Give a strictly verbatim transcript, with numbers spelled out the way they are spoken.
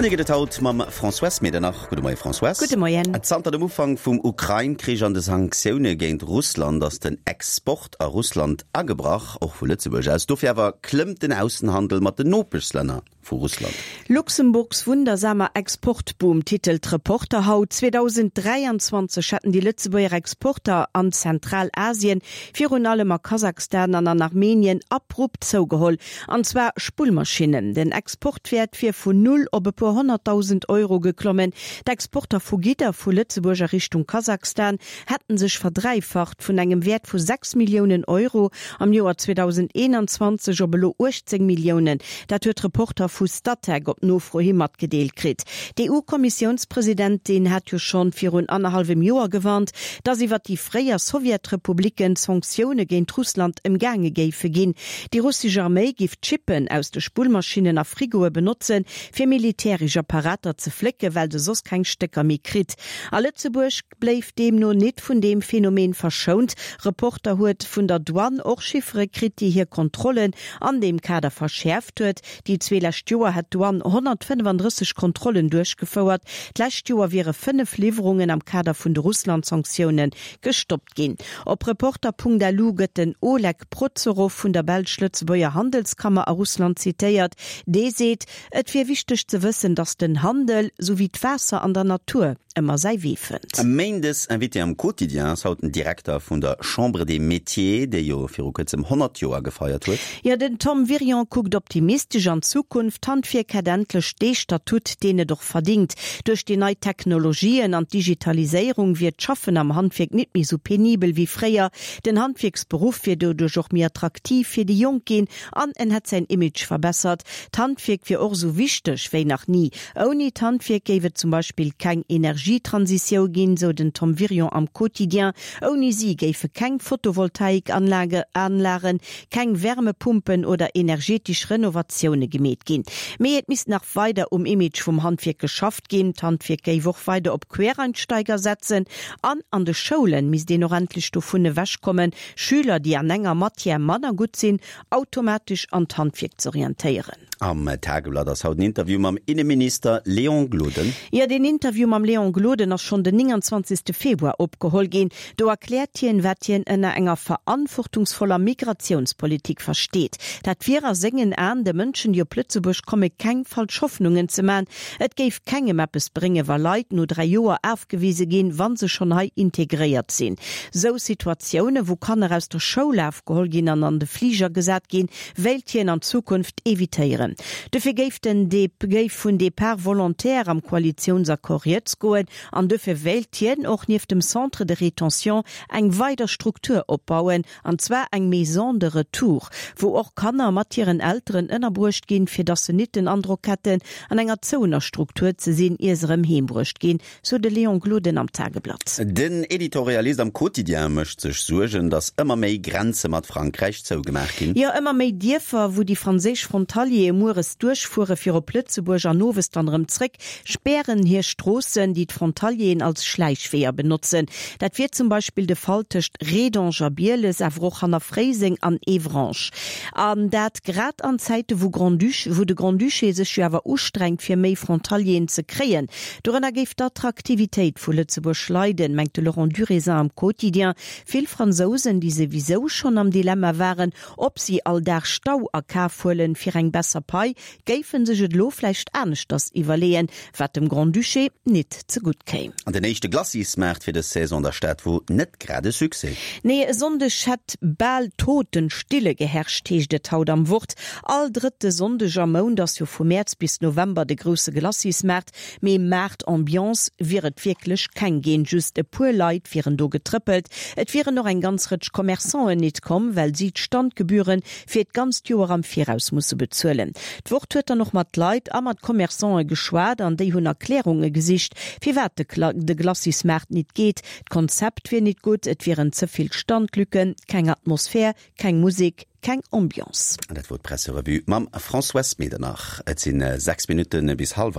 Noriichten gëtt et haut mam Françoise Medernach. Gudde Moie Françoise. Gudde Moien. Zanter dem Ufank vum Ukrain-Krich an de Sanktioune géint Russland ass den Export a Russland agebrach, och vu Lëtzebuerg aus. Dofir awer klëmmt den Aussenhandel mat den Nopeschlänner vu Russland. Luxemburgs wundersamer Exportboom titelt Reporter haut. zweedausenddräianzwanzeg hätten déi Lëtzebuerger Exporter an Zentralasien, virun allem a Kasachstan an an Armenien, abrupt zougeholl. An zwar Spullmaschinnen. Den Exportwäert wier vun null op e puer honnertdausend Euro geklommen. D'Exporter vu Gidder vu Lëtzebuerg a Richtung Kasachstan hätten sech verdräifacht, vun engem Wäert vu sechs Milliounen Euro am Joer zweedausendeenanzwanzeg op elo uechtzéng Milliounen. Dat huet Reporter vu Statec op Nofro hi matgedeelt kritt. D'EU-Kommissiounspresidentin hat jo schonn virun annerhallwem Joer gewarnt, datt iwwer déi fréier Sowjetrepublicken Sanktioune géint Russland ëmgaange géife ginn. Déi russesch Arméi giff d'Chippen aus de Spullmaschinnen a Frigoe benotzen, fir militäresch Apparater ze flécken, well se soss keng Stécker méi kritt. A Lëtzebuerg bléif deemno nit vun deem Phänomen verschount. Reporter huet vun der Douane och Chiffere kritt, déi hir Kontrollen an deem Kader verschäerft huet. Déi zwee lescht Joer hätt d'Douane honnertfënnefandrësseg Kontrollen duerchgefouert. D'lescht Joer wiere fënnef Liwwerungen am Kader vun de Russland-Sanktioune gestoppt ginn. Op Reporter.lu gëtt den Oleg Prozorov vun der belsch-lëtzebuerger Handelskammer a Russland zitéiert. Dee seet, et wier wichteg ze wëssen, datt den Handel, sou wéi d'Waasser an der Natur, ëmmer säi Wee fënnt. Méindes Invité am Quotidien ass haut den Direkter vun der Chambre des Métiers, déi jo viru kuerzem honnert Joer gefeiert huet. Jo, den Tom Wirion kuckt optimistesch an d'Zukunft. D'Handwierk hätt endlech dee Statut, deen et och verdingt. Duerch déi nei Technologien an d'Digitaliséierung wier d'Schaffen am Handwierk nit méi sou penibel wéi fréier. Den Handwierksberuff wier doduerch och méi attraktiv fir déi Jonk ginn an en hätt säin Image verbessert. D'Handwierk wier och sou wichteg wéi nach ni. Ouni d'Handwierk géif et zum Beispill keng Energietransitiou ginn, sou den Tom Wirion am Quotidien. Ouni si géife keng Photovoltaikanlagen, keng Wärmepumpen oder energetesch Renovatioune gemeet ginn. Mee et misst nach weider um Image vum Handwierk geschafft ginn. D'Handwierk géif och weider op Quereinsteiger setzen an an de Schoule misst een och endlech dovun ewechkommen, Schüler, déi an enger Matière manner gutt sinn, automatesch an d'Handwierk z'orientéieren. Am Tageblatt ass haut en Interview mam Inneminister Léon Gloden. Jo, deen Interview mam Léon Gloden ass schonn den nénganzwanzegste Februar opgeholl ginn. Do erkläert hien, wat hien ënner enger verantwortungsvoller Migratiounspolitik versteet. Dat wier a sengen Aen, de Mënschen, déi op Lëtzebuerg komme keng falsch Hoffnungen ze man. Et géif kengem eppes bréngen, wa Leit no dräi Joer afgewise ginn, wa se schonn hei integréiert sinn. Sou Situatioune, wou Kanner aus der Schoul afgeholl ginn an an de Fliger gesat ginn, wéilt hien an Zukunft evitéieren. Dofir géif den géif vun Départ volontaire am Koalitiounsaccord rieds goen an dofir wéilt hien och nieft dem Centre de rétention eng weider Struktur opbauen, an zwar eng Maison de retour, wou och Kanner mat hiren Elteren ënnerbruecht ginn, fir dass se nit den Androck hätten, an enger zouener Struktur ze sinn, ier se erëm heem bruecht ginn, sou de Léon Gloden am Tageblatt. Den Editorialist am Quotidien mécht sech Suergen, datt ëmmer méi Grenze mat Frankräich zougemaach ginn. Jo, ëmmer méi Dierfer, wou déi franséisch Frontaliere mueres duerchfuere fir op Lëtzebuerg an owes dann erëm zréck, spären hir Stroossen, déi d'Frontalieren als Schläichweeër benotzen. Dat wier zum Beispill de Fall tëscht Rédange a Bieles, awer och hanner Fréiseng an Évrange. An dat grad an Zäite wou Grand-Duché, wou de Grand-Duché sech jo awer ustrengt fir méi Frontalieren ze kréien. Dorënner géif d'Attraktivitéit vu Lëtzebuerg leiden, mengt de Laurent Durisin am Quotidien. Vill Fransousen, déi souwisou schonn am Dilemma waren, ob si all Dag Stau a Kaf huelen fir eng besser Pai, géife sech et elo vläicht aneschters iwwerleeën, wat dem Grand-Duché nit zegutt kéim. An den éischte Glacismaart fir dës Saison an der Stad wor net grad e Succès. Nee, e Sonndeg hätt bal Totenstille geherrscht, heescht et haut am Wort. All drëtte Sonndeg am Mount ass jo vu Mäerz bis November de grousse Glacismaart, mee Maart-Ambiance wier et wierklech keng ginn. Just e puer Leit wieren do getrëppelt. Et wieren och eng ganz Rëtsch Commerçanten nit komm, well si d'Standgebühren fir d'ganzt Joer am Viraus musse bezuelen. D'Wort huet dann och mat Leit a mat Commerçanten geschwat an déi hunn Erklärunge gesicht, firwat de Glacismaart nit geet. D'Konzept wier nit gutt, et wieren ze vill Standlücken, keng Atmosphär, keng Musek, keng Ambiance. An dat wor d'Presserevue mam Françoise Medernach. Et sinn sechs Minutte bis hallwer.